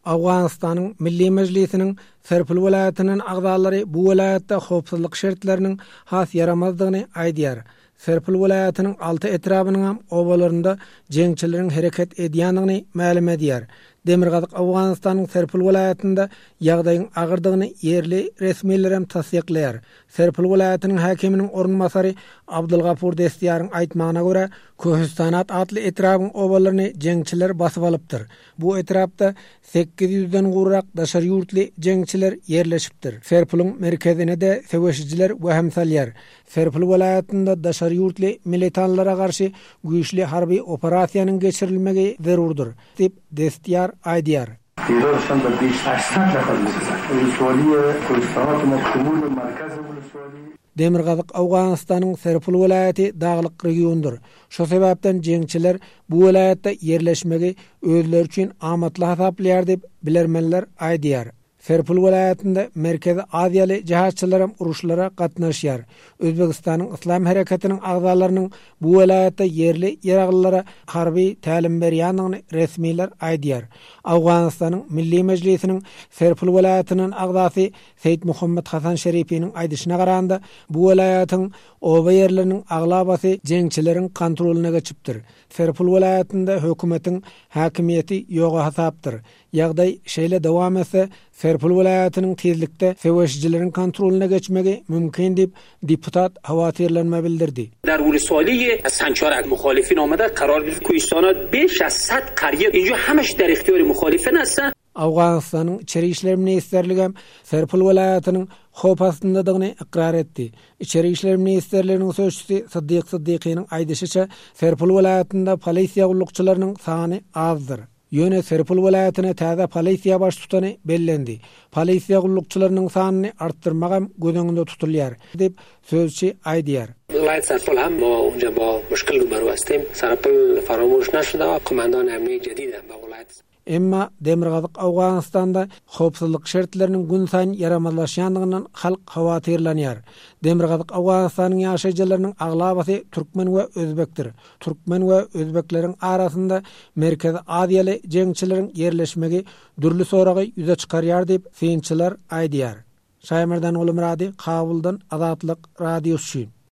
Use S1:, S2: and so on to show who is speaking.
S1: Owganystanyň Milli Mejlisiniň Serpil welaýatyndan agzalary bu welaýatda howpsuzlyk şertleriniň has ýaramazdygyny aýdýar. Serpil welaýatynyň alty etrabynyňam obalarynda jeňçileriň hereket edýändigini mälim edýär. Demirgazyk Owganystanyň Serpil welaýatynda ýagdaýyň agyrdygyny ýerli resmilerem tassyklaýar. Serpil welaýatynyň häkiminiň orunbasary Abdulgapur Destiýaryň aýtmagyna görä, Köhüstanat atly etrabyň obalaryny jeňçiler basyp alypdyr. Bu etrapda 800-den gowrak daşary ýurtly jeňçiler ýerleşipdir. Serpulyň merkezine-de söweşijiler wehim salýar. Serpil welaýatynda daşary ýurtly militanlara garşy güýçli harby operasiýanyň geçirilmegi zerurdyr, diýip, Destýar aýdýar. Demirgazyk Owganystanyň Serpil welaýaty daglyk regiondyr. Şo sebäpden jeňçiler bu welaýatda ýerleşmegi özleri üçin amatly hasaplaýar diýip, bilermenler aýdýar. Serpil welaýatynda Merkezi Aziýaly jihatçylaram uruşlara gatnaşýar. Özbegistanyň Yslam hereketiniň agzalarynyň bu welaýatda ýerli ýaraglylara harby tälim berýändigini resmiler aýdýar. Owganystanyň Milli Mejlisiniň Serpil welaýatyndan agzasy Seýit Muhammet Hasan Şerifiniň aýdyşyna garanda, bu welaýatyň oba ýerleriniň aglabasy jeňçileriň kontrolyna geçipdir. Serpil welaýatynda hökümetiň häkimiýeti ýoga hasapdyr. Ýagdaý şeýle dowam etse, Serpil welaýatynyň tizlikde söweşijileriň kontrolyna geçmegi mümkin diýip, deputat howatyrlanma bildirdi.
S2: در ولسوالی سنچارک مخالفین آمده قرار گرفت کوهستانات بیش از صد قریه اینجا همش در اختیار مخالفین است.
S1: Owganystanyň Içeri işler ministrligem Serpil welaýatynyň howp astyndadygyny ykrar etdi. Içeri işler ministrliginiň sözçüsi Syddyk Syddykynyň aýdyşyça, Serpil welaýatynda polisiýa gullukçylarynyň sany azdyr. Ýöne Serpil welaýatyna täze polisiýa baştutany bellendi. Polisiýa gullukçylarynyň sanyny artdyrmagam göz öňünde tutulýar, diýip, sözçi aýdýar.
S2: ولایت سرپل هم ما اونجا با مشکل روبرو هستیم سرپل فراموش نشده و قماندان امنیه جدید هم به ولایت
S1: Emma demirgazyk Owganystanda howpsuzlyk şertleriniň günsaýyn ýaramazlaşýandygyndan halk howatyrlanýar. Demirgazyk Owganystanyň ýaşaýjylarynyň aglabasy türkmen we özbekdir. Türkmen we özbekleriň arasynda Merkezi Aziýaly jeňçileriň ýerleşmegi dürli soragy ýüze çykarýar diýip, synçylar aýdýar. Şaýmerdan Gulumyrady, Kabuldan Azatlyk Radiosy üçin.